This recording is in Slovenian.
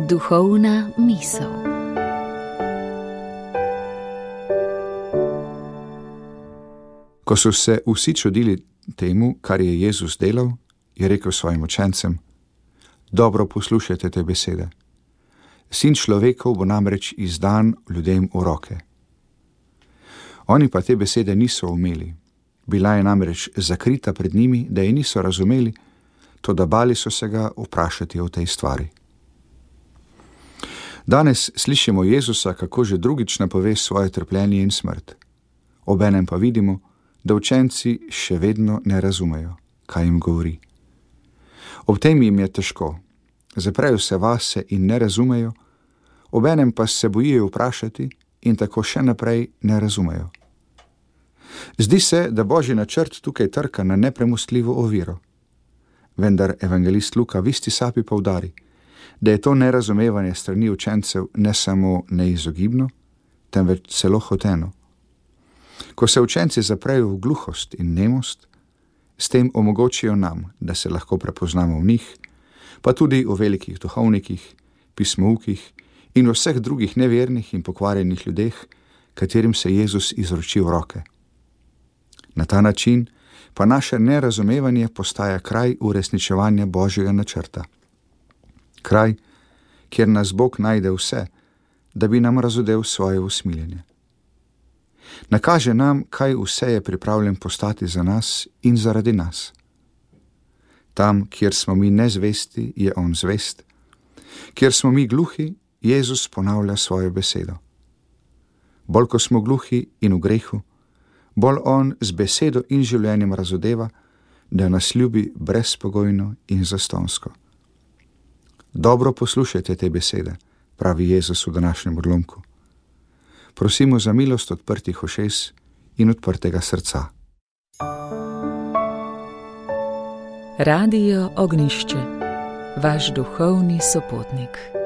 Duhovna misel. Ko so se vsi čudili temu, kar je Jezus delal, je rekel svojim učencem: dobro poslušajte te besede. Sin človekov bo namreč izdan ljudem v roke. Oni pa te besede niso umeli. Bila je namreč zakrita pred njimi, da je niso razumeli, toda bali so se ga vprašati o tej stvari. Danes slišimo Jezusa, kako že drugič napove svoje trpljenje in smrt. Obenem pa vidimo, da učenci še vedno ne razumejo, kaj jim govori. Ob tem jim je težko, zaprejo se vase in ne razumejo, obenem pa se bojijo vprašati in tako še naprej ne razumejo. Zdi se, da Božji načrt tukaj trka na nepremostljivo oviro. Vendar evangelist Luka v isti sapi poudari, da je to nerazumevanje strani učencev ne samo neizogibno, temveč celo hoteno. Ko se učenci zaprejo v gluhost in nemost, s tem omogočijo nam, da se lahko prepoznamo v njih, pa tudi v velikih duhovnikih, pismoukih in vseh drugih nevernih in pokvarjenih ljudeh, katerim se Jezus izroči v roke. Na ta način pa naše nerazumevanje postaja kraj uresničevanja Božjega načrta. Kraj, kjer nas Bog najde vse, da bi nam razodel svoje usmiljenje. Nakaže nam, kaj vse je pripravljen postati za nas in zaradi nas. Tam, kjer smo mi nezvesti, je on zvest. Kjer smo mi gluhi, Jezus ponavlja svojo besedo. Bolj ko smo gluhi in v grehu, bolj on z besedo in življenjem razodeva, da nas ljubi brezpogojno in zastonsko. Dobro poslušajte te besede, pravi Jezus v današnjem odlomku. Prosimo za milost odprtih ušes in odprtega srca. Radio Ognjišče, vaš duhovni sopotnik.